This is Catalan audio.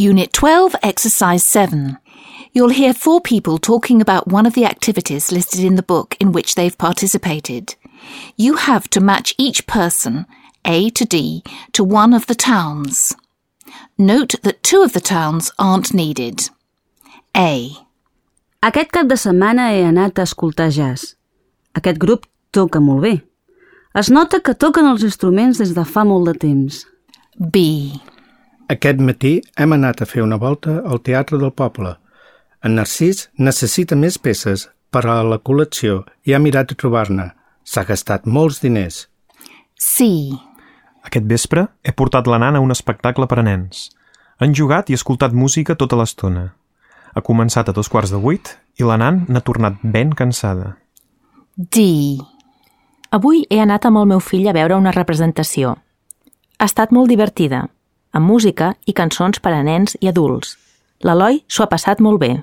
Unit 12, Exercise 7. You'll hear 4 people talking about one of the activities listed in the book in which they've participated. You have to match each person, A to D, to one of the towns. Note that 2 of the towns aren't needed. A. Aquest cap de setmana he anat a escoltar jazz. Aquest grup toca molt bé. Es nota que toquen els instruments des de fa molt de temps. B. Aquest matí hem anat a fer una volta al Teatre del Poble. En Narcís necessita més peces per a la col·lecció i ha mirat de trobar-ne. S'ha gastat molts diners. C. Aquest vespre he portat la Nan a un espectacle per a nens. Han jugat i escoltat música tota l'estona. Ha començat a 7:15 i la Nan n'ha tornat ben cansada. D. Avui he anat amb el meu fill a veure una representació. Ha estat molt divertida, amb música i cançons per a nens i adults. L'Eloi s'ho ha passat molt bé.